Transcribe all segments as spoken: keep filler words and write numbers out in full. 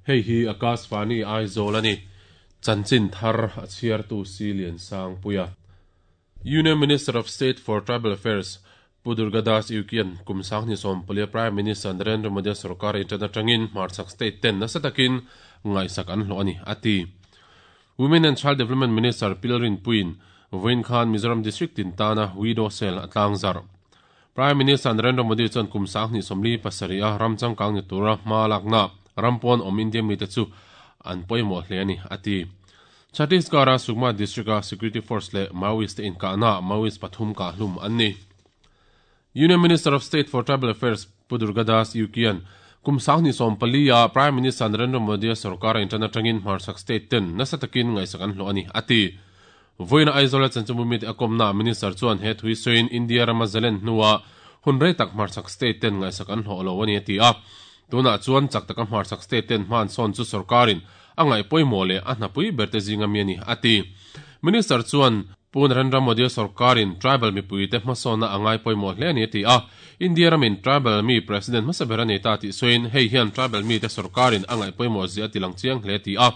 Hei hi Akashvani Aizawl ani. Chanchin thar a chhiartu Silian Sangpuia. Union Minister of State for Tribal Affairs Pu Durgadas Uikian kum sanghnih sawm palia Prime Minister Narendra Modi sarkar internet atangin hmarchhak state ten nasa takin ngaihsak an hlawh ani ati. Women and Child Development Minister Pilrin Puin Vawiin khan Mizoram District tin tana Widow Cell a tlangzar. Prime Minister Narendra Modi chuan kum sanghnih sawmli pasarih a ram changkang ni tura hma lakna rampawn awm India mite chu an pawimawh hle ani ati. Chhattisgarh a Sukma District a Security Force leh Maoist te inkahna Maoist pathum kah hlum an ni. Union Minister of State for Tribal Affairs Pu Durgadas Uikian kum sanghnih sawm pali a Prime Minister Narendra Modi sarkar internet atangin hmarchhak state ten nasa takin ngaihsak an hlawh ani ati. Vawiin Aizawl a chanchinbu mite a kawmna Minister chuan he thui sawiin India rama zalen hnuah hun rei tak hmarchhak state ten ngaihsak an hlawh lo ani ati a. Tunah chuan chak taka hmarchhak state ten hman sawn chu sarkarin a ngaih pawimawh leh a hnapui ber te zinga mi ani ati. Minister chuan Pu Narendra Modi sarkarin tribal mipui te hmasawnna a ngai pawimawh hle ani ati a. India ramin tribal mi president hmasa ber ani ta tih sawiin hei hian tribal mi te sarkarin a ngaih pawimawh zia ti lang chiang hle ati a.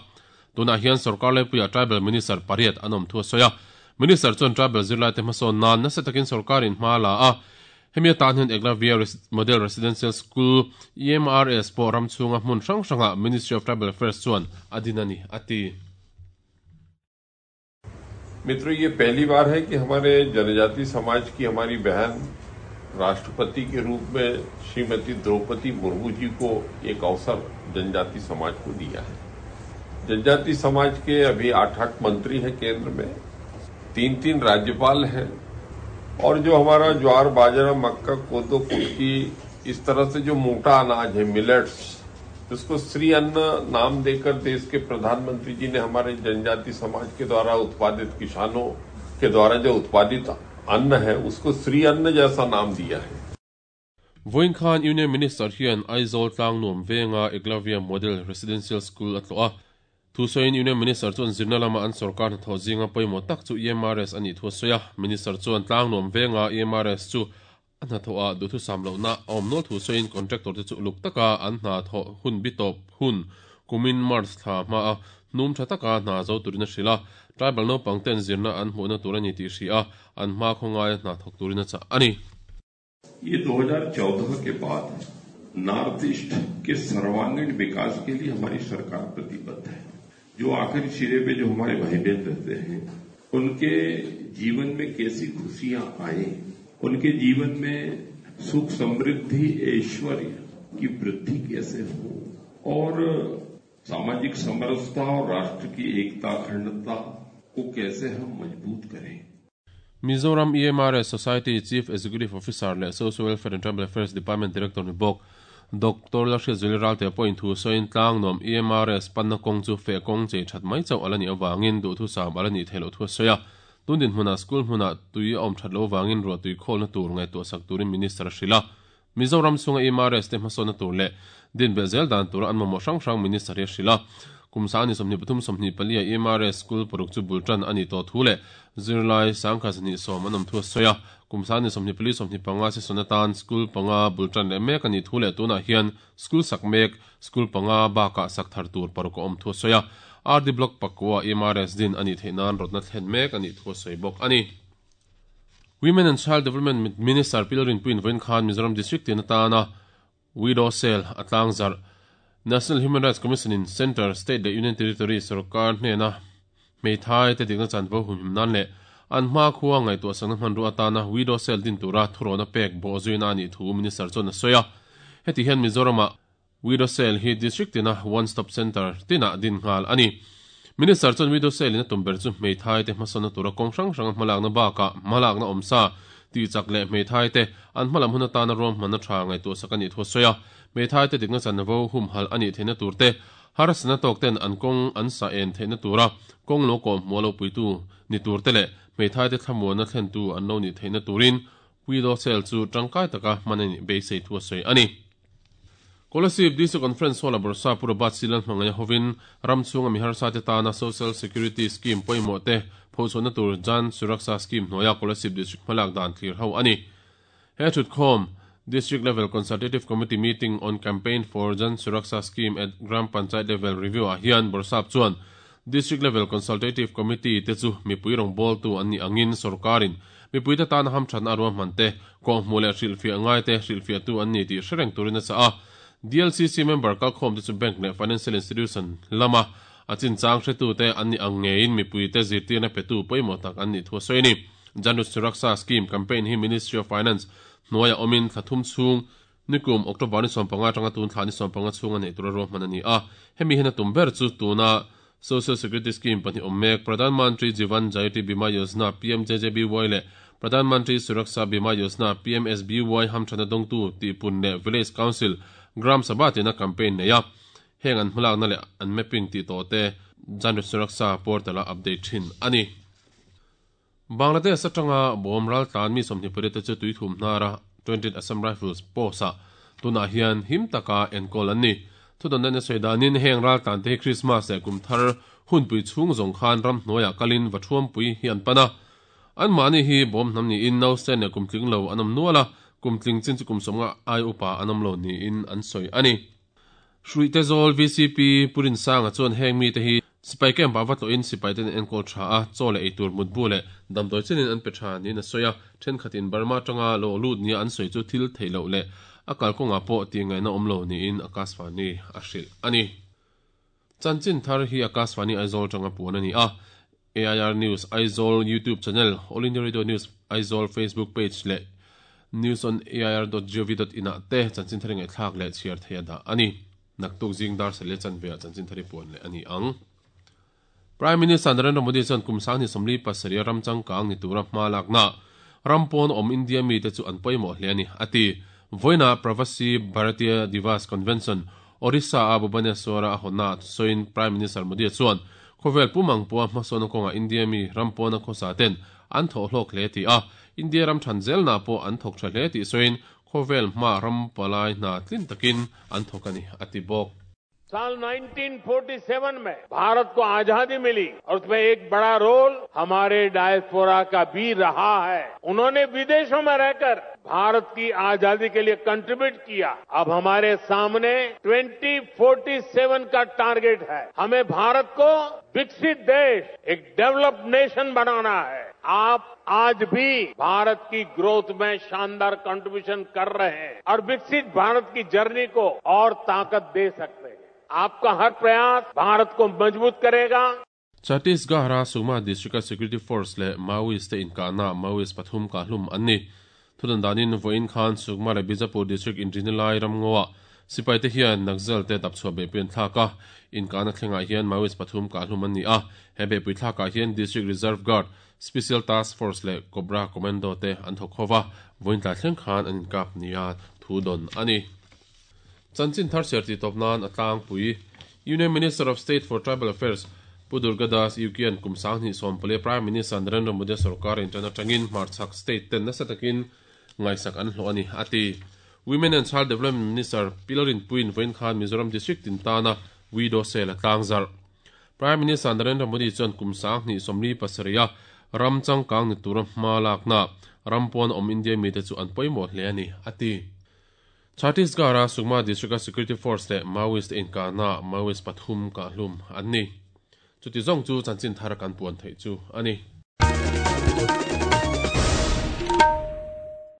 Tunah hian sarkar laipuia tribal minister pariat an awm thu a sawi a. Minister chuan tribal zirlai te hmasawn nan nasa takin sarkarin hma la a. Hemi atan hian Eklavya Model Residential School E M R S pawh ram chhunga hmun hrang hranga Ministry of Tribal Affairs chuan a din ani ati. मित्रों, ये पहली बार है कि हमारे जनजाति समाज की हमारी बहन राष्ट्रपति के रूप में श्रीमती द्रौपदी मुर्मू जी को एक अवसर जनजाति समाज को दिया है। जनजाति समाज के अभी आठ आठ मंत्री हैं केंद्र में, तीन तीन राज्यपाल हैं और जो हमारा ज्वार, बाजरा, मक्का, कोदो, कुटकी, इस तरह से जो मोटा अनाज है, मिलेट्स, उसको श्री अन्न नाम देकर देश के प्रधानमंत्री जी ने हमारे जनजाति समाज के द्वारा उत्पादित किसानों के द्वारा जो उत्पादित अन्न है उसको श्री अन्न जैसा नाम दिया है। Vawiin khan Union Minister hian Aizawl Tlangnuam venga Eklavya Model Residential School a tlawh a. Thusawiin Union Minister chuan zirna lama an sarkar hnathawh zinga pawimawh tak chu E M R S ani thu a sawi a. Minister chuan Tlangnuam venga E M R S chu a hnathawh a duhthu sam lohna a awm nual thu sawiin contractor te chu uluk taka an hna thawh hun bi tawp hun kumin March thla hma a hnum tha taka hna zo turin a hril a. Tribal naupang ten zirna an hmuhna tur ani tih hri a an hma khawngai hna thawk turin a chah ani. ये दो हजार चौदह के बाद north east के सर्वांगीण विकास के लिए हमारी सरकार प्रतिबद्ध है। जो आखिरी सिरे पे जो हमारे भाई बहन रहते हैं उनके जीवन में कैसी खुशियां आए, उनके जीवन में सुख, समृद्धि, ऐश्वर्य की वृद्धि कैसे हो और सामाजिक समरसता और राष्ट्र की एकता, अखंडता को कैसे हम मजबूत करें। Mizoram E M R S Society Chief Executive Officer leh Social Welfare and Tribal Affairs Department Director ni bawk Doctor Lalhriat Zuali Ralte pawhin thu sawiin Tlangnuam E M R S panna kawng chu feh kawng chei that mai chauh ala nih awangin duhthu sam ala nih theih loh thu a sawi a. Tundin hmunah school hmunah tui a awm that lo awangin ruah tui khawlna tur ngaihtuah sak turin Minister a hrilh a. Mizoram chhunga E M R S te hmasawnna tur leh din bel zel dan tura an mamawh hrang hrang Minister hi a hrilh a. Kum sani sawmhnih pathum sawmhnih pali a E M R S school paruk chu bultan ani tawh thu leh zirlai sangkha zahnih sawm an awm thu a sawi a. Kum sani sawmhnih pali sawmhnih panga session atan school panga bultan leh mek ani thu leh tunah hian school sak mek school panga bakah sak thar tur paruk a awm thu a sawi a. R D Block pakua E M R S din ani theih nan rawtna thlen mek ani thu a sawi bawk ani. Women and Child Development Minister Pilrin Puin Vawiin khan Mizoram District tin atana Widow Cell a tlangzar National Human Rights Commission in Center, State leh Union Territory sarkar hnena hmeithai te dikna chanvo humhim nan leh an hma khuwa ngaihtuah sakna hmanru atana Widow Cell din tura thurawna pek bawh zuina ani thu Minister chuan a sawi a. Heti hian Mizorama Widow Cell hi district tina one stop center tina din nghal ani. Minister chuan Widow Cell in a tum ber chu hmeithai te hmasawnna tura kawng hrang hranga hmalakna bakah hmalakna awmsa ti chak leh hmeithai te an hmalam hun atana ruam hmanna tha ngaihtuah sak ani thu a sawi a. Hmeithai te dikna chanvo humhal ani theihna tur te harsatna tawk ten an kawng an sa en theihna tura kawng lo kawm hmuh lo puitu ni tur te leh hmeithai te thlamuanna thlentu an lo ni theihna turin Widow Cell chu tangkai taka hman ani beisei thu a sawi ani. Kolasib D C Conference Hall a Borsa Purabat Silan hmangaih hovin ram chhunga mi harsa te tana Social Security Scheme pawimawh te phochhuahna tur Jan Suraksha Scheme hnuaia Kolasib District hmalak dan thlir ho ani. He thutkhawm District Level Consultative Committee Meeting on Campaign for Jan Suraksha Scheme at Gram Panchayat Level Review ah hian Bawrhsap chuan District Level Consultative Committee te chu mipui rawngbawltu an nih angin sorkarin mipui te tana hamthatna a ruahman te kawhhmuh leh hrilhfiah ngai te hrilhfiahtu an ni tih hre reng turin a chah a. D L C C member kalkhawm te chu bank leh financial institution lama a chinchang hretu te an nih ang ngeiin mipui te zirtirna petu pawimawh tak an nih thu a sawi a ni. Jan Suraksha Scheme campaign hi Ministry of Finance hnuaia awmin thla thum chhung nikum October ni sawmpanga atanga tun thla ni sawmpanga chhung a neih tura ruahman a ni a. Hemi hian a tum ber chu tuna Social Security Scheme pahnih awm mek Pradhan Mantri Jeevan Jyoti Bima Yojana P M J J B Y leh Pradhan Mantri Suraksha Bima Yojana P M S B Y hamthana dawngtu tihpun leh Village Council Gram Sabha tina campaign nei a. Heng an hmalakna leh an mapping tih tawh te Jan Suraksha portal a update thin a ni. Bangladesh atanga bawm ral tlan mi sawmhnih pariat te chu tuithum hnara twentieth Assam Rifles post ah tunah hian him taka enkawl an ni. Thudan na sawi danin heng ral tlan te hi Christmas leh kum thar hunpui chhung zawng khan ram hnuaiah kalin vathuampui hi an pan a. An mahni hi bawm hnam niin no sen leh kum tling lo an awm nual a, kum tling chin chu kum sawmnga ai upa an awm lo niin an sawi a ni. Hruih te zawl V C P Purin Sanga chuan heng mi te hi sipai camp ah va tlawhin sipai ten enkawl tha a, chaw leh eitur mutbu leh damdawi chenin an pe tha niin a sawi a. Thenkhatin Burma atanga lo lut nia an sawi chu thil theih loh leh a kalkawngah pawh tih ngaihna awm lo niin Akashvani a hrilh a ni. Chanchin thar hi Akashvani Aizawl atanga puan a ni a. A I R News Aizawl YouTube channel, All India Radio News Aizawl Facebook page leh news on A I R dot gov dot in ah te chanchin thar ngaihthlak leh chhiar thei a dah a ni. Naktuk zing dar sel leh chanve ah chanchin thar hi puan leh a ni ang. Prime Minister Narendra Modi chuan kum sang ni sawmli pasarih ram changkang ni tura hma lakna ram pawn awm India mi te chu an pawimawh hle a ni a ti. Voina Pravasi Bharatiya Divas Convention Orissa a Bhubaneswar a hawnna sawiin Prime Minister Modi chuan khawvel pumang pawha hmasawn kawnga India mi ram pawn a khawsa ten an thawh hlawk hle ti a. India ram than zelna pawh an thawk tha hle tih sawiin khawvel hma ram palai hna tlin takin an thawk a ni a ti bawk. साल nineteen forty-seven में भारत को आजादी मिली और उसमें एक बड़ा रोल हमारे डायस्पोरा का भी रहा है। उन्होंने विदेशों में रहकर भारत की आजादी के लिए कंट्रीब्यूट किया। अब हमारे सामने twenty forty-seven का टारगेट है। हमें भारत को विकसित देश, एक डेवलप्ड नेशन बनाना है। आप आज भी भारत की ग्रोथ में शानदार कंट्रीब्यूशन कर रहे हैं और विकसित भारत की जर्नी को और ताकत दे सकते हैं। आपका हर प्रयास भारत को मजबूत करेगा। Chhattisgarh Sukma District Security Force le Maoist te inkahna Maoist pathum ka hlum an ni. Thudan danin voin khan Sukma le Bijapur District inrinalai ramngoa sipai te hian Naxal te dapchhuah behpui an thlak a. Inkahna thlengah hian Maoist pathum ka hlum an ni a. He behpui thlakah hian District Reserve Guard, Special Task Force le Cobra Commando te an thawk hova voin tla thleng khan an inkap nia thu don ani. Chanchin thar ser ti topnan atlang pui Union Minister of State for Tribal Affairs Pu Durgadas Ukian kumsang ni sompale Prime Minister Narendra Modi sarkar in tana tangin Marchak state ten nasa takin ngaisak an hlo ani ati. Women and Child Development Minister Pilarin Puin voin khan Mizoram District tin tana widow sel tlangzar. Prime Minister Narendra Modi chuan kumsang ni somli pasaria ram changkang ni tura hma lakna rampon om India mi te chu an pawimawh hle ani ati. Chhattisgarh Sukma District Security Force le Maoist inkahna Maoist pathum ka hlum an ni. Chuti zawng chu chanchin thar kan puan theih chu ani.